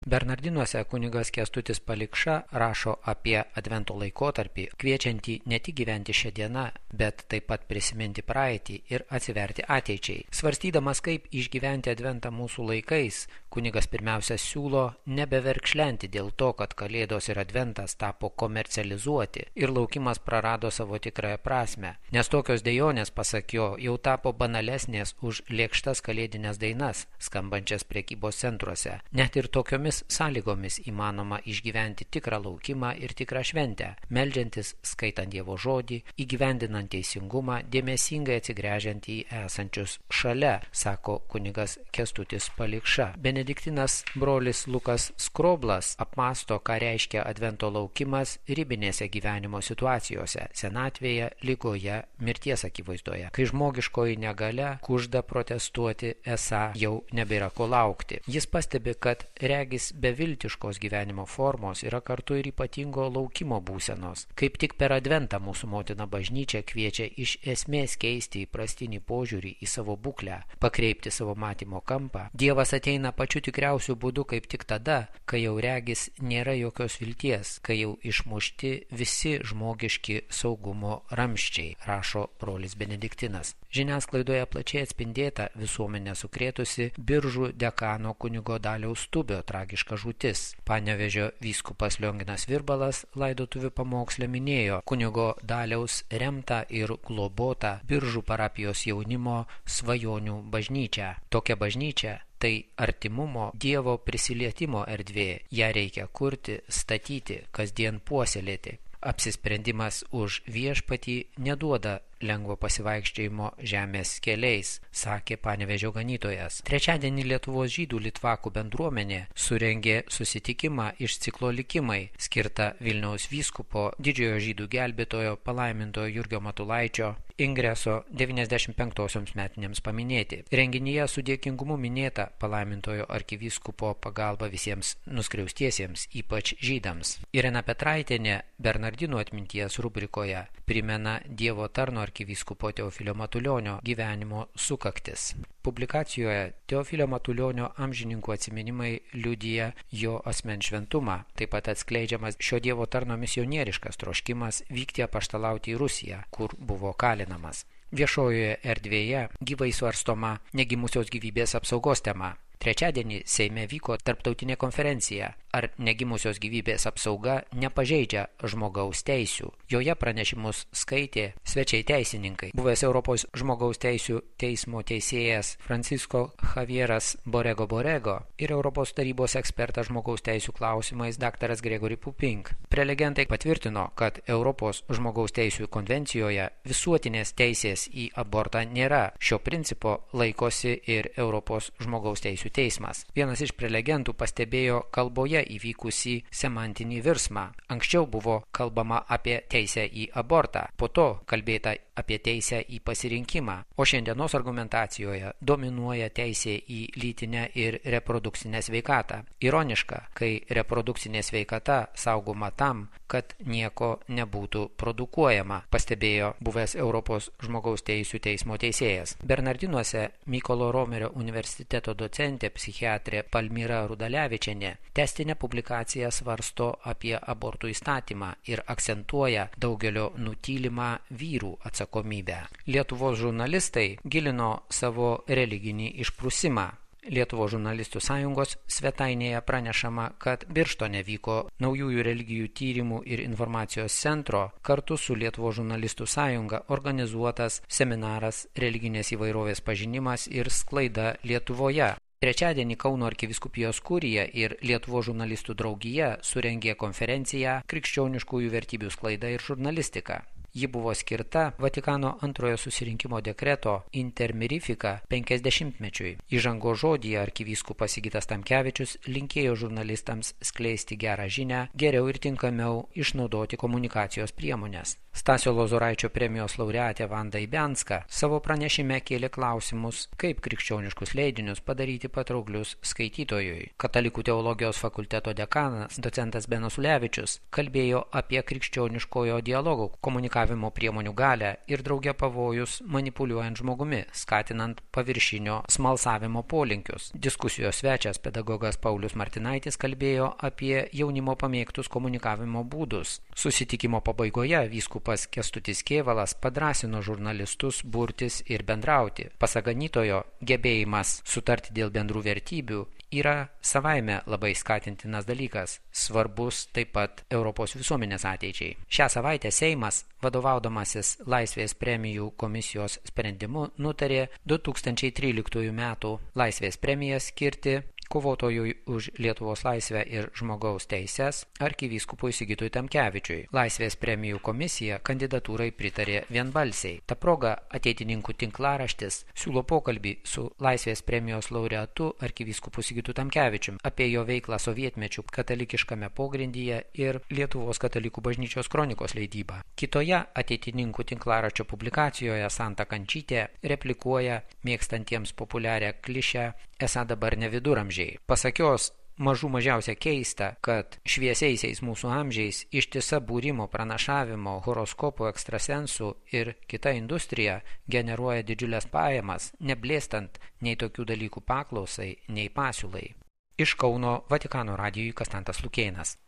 Bernardinuose kunigas Kęstutis Palikša rašo apie Advento laikotarpį, kviečiantį ne tik gyventi šią dieną, bet taip pat prisiminti praeitį ir atsiverti ateičiai. Svarstydamas, kaip išgyventi Adventą mūsų laikais, kunigas pirmiausia siūlo nebeverkšlenti dėl to, kad Kalėdos ir Adventas tapo komercializuoti ir laukimas prarado savo tikrąją prasmę, nes tokios dejonės, pasak jo, jau tapo banalesnės už lėkštas kalėdinės dainas, skambančias prekybos centruose. Net ir tokiomis sąlygomis įmanoma išgyventi tikrą laukimą ir tikrą šventę, meldžiantis, skaitant Dievo žodį, įgyvendinant teisingumą, dėmesingai atsigręžiant į esančius šalia, sako kunigas Kęstutis Palikša. Benediktinas brolis Lukas Skroblas apmąsto, ką reiškia Advento laukimas ribinėse gyvenimo situacijose, senatvėje, ligoje, mirties akivaizdoje, kai žmogiškoji negalia kužda protestuoti, esą jau nebėra ko laukti. Jis pastebi, kad regis beviltiškos gyvenimo formos yra kartu ir ypatingo laukimo būsenos. Kaip tik per Adventą mūsų motina bažnyčia kviečia iš esmės keisti įprastinį požiūrį į savo būklę, pakreipti savo matymo kampą. Dievas ateina pačiu tikriausiu būdu kaip tik tada, kai jau regis nėra jokios vilties, kai jau išmušti visi žmogiški saugumo ramščiai, rašo brolis Benediktinas. Žiniasklaidoje plačiai atspindėta visuomenė sukrėtusi Biržų dekano kunigo Daliaus Stubio tragiška žūtis. Panevėžio vyskupas Lionginas Virbalas laidotuvių pamoksle minėjo kunigo Daliaus remtą ir globotą Biržų parapijos jaunimo svajonių bažnyčią. Tokia bažnyčia tai artimumo, Dievo prisilietimo erdvė. Ją reikia kurti, statyti, kasdien puoselėti. Apsisprendimas už viešpatį neduoda lengvo pasivaikščiojimo žemės keliais, sakė Panevėžio ganytojas. Trečiadienį Lietuvos žydų litvakų bendruomenė surengė susitikimą iš ciklo Likimai, skirtą Vilniaus vyskupo didžiojo žydų gelbėtojo palaimintojo Jurgio Matulaičio ingreso 95-osioms metinėms paminėti. Renginyje su dėkingumu minėta palaimintojo arkivyskupo pagalba visiems nuskriaustiesiems, ypač žydams. Irena Petraitienė Bernardinų atminties rubrikoje primena Dievo tarno arkivyskupo Teofilio Matulionio gyvenimo sukaktis. Publikacijoje Teofilio Matulionio amžininkų atsiminimai liudija jo asmens šventumą. Taip pat atskleidžiamas šio Dievo tarno misionieriškas troškimas vykti apaštalauti į Rusiją, kur buvo kalinamas. Viešojoje erdvėje gyvai svarstoma negimusios gyvybės apsaugos tema. Trečiadienį Seime vyko tarptautinė konferencija ar negimusios gyvybės apsauga nepažeidžia žmogaus teisių. Joje pranešimus skaitė svečiai teisininkai. Buvęs Europos žmogaus teisių teismo teisėjas Francisco Javieras Borrego ir Europos tarybos ekspertas žmogaus teisių klausimais dr. Gregory Pupink. Prelegentai patvirtino, kad Europos žmogaus teisių konvencijoje visuotinės teisės į abortą nėra. Šio principo laikosi ir Europos žmogaus teisių teismas. Vienas iš prelegentų pastebėjo kalboje įvykusį semantinį virsmą. Anksčiau buvo kalbama apie teisę į abortą, po to kalbėta apie teisę į pasirinkimą, o šiandienos argumentacijoje dominuoja teisė į lytinę ir reprodukcinę sveikatą. Ironiška, kai reprodukcinė sveikata saugoma tam, kad nieko nebūtų produkuojama, pastebėjo buvęs Europos žmogaus teisių teismo teisėjas. Bernardinuose Mykolo Romerio universiteto docentė psichiatrė Palmira Rudalevičienė testinę publikaciją svarsto apie abortų įstatymą ir akcentuoja daugelio nutylimą vyrų atsakomybę. Lietuvos žurnalistai gilino savo religinį išprusimą. Lietuvos žurnalistų sąjungos svetainėje pranešama, kad Birštone vyko naujųjų religijų tyrimų ir informacijos centro kartu su Lietuvos žurnalistų sąjunga organizuotas seminaras religinės įvairovės pažinimas ir sklaida Lietuvoje. Trečiadienį Kauno arkivyskupijos kurija ir Lietuvos žurnalistų draugija surengė konferenciją Krikščioniškųjų vertybių sklaida ir žurnalistika. Ji buvo skirta Vatikano antrojo susirinkimo dekreto Intermirifika 50-mečiui. Įžangos žodyje arkivyskupas Sigitas Tamkevičius linkėjo žurnalistams skleisti gerą žinią, geriau ir tinkamiau išnaudoti komunikacijos priemonės. Stasio Lozoraičio premijos laureatė Vanda Ibianska savo pranešime kėlė klausimus, kaip krikščioniškus leidinius padaryti patrauklius skaitytojui. Katalikų teologijos fakulteto dekanas docentas Benas Ulevičius kalbėjo apie krikščioniškojo dialogo komunikacijos komunikavimo priemonių galią ir drauge pavojus manipuliuojant žmogumi, skatinant paviršinio smalsavimo polinkius. Diskusijos svečias pedagogas Paulius Martinaitis kalbėjo apie jaunimo pamėgtus komunikavimo būdus. Susitikimo pabaigoje vyskupas Kęstutis Kėvalas padrąsino žurnalistus burtis ir bendrauti. Pasak ganytojo, gebėjimas sutarti dėl bendrų vertybių yra savaime labai skatintinas dalykas, svarbus taip pat Europos visuomenės ateičiai. Šią savaitę Seimas, vadovaudamasis Laisvės premijų komisijos sprendimu, nutarė 2013 metų Laisvės premiją skirti kovotojui už Lietuvos laisvę ir žmogaus teises arkivyskupui Sigitui Tamkevičiui. Laisvės premijų komisija kandidatūrai pritarė vienbalsiai. Ta proga ateitininkų tinklaraštis siūlo pokalbį su Laisvės premijos laureatu arkivyskupu Sigitu Tamkevičiumi apie jo veiklą sovietmečių katalikiškame pogrindyje ir Lietuvos katalikų bažnyčios kronikos leidybą. Kitoje ateitininkų tinklaraščio publikacijoje Santa Kančytė replikuoja mėgstantiems populiarią klišę esą dabar ne viduramžiai. Pasak jos, mažiausia keista, kad šviesiaisiais mūsų amžiais ištisa būrimo, pranašavimo, horoskopų, ekstrasensų ir kita industrija generuoja didžiulės pajamas, neblėstant nei tokių dalykų paklausai, nei pasiūlai. Iš Kauno Vatikano radijui Konstantas Lukėnas.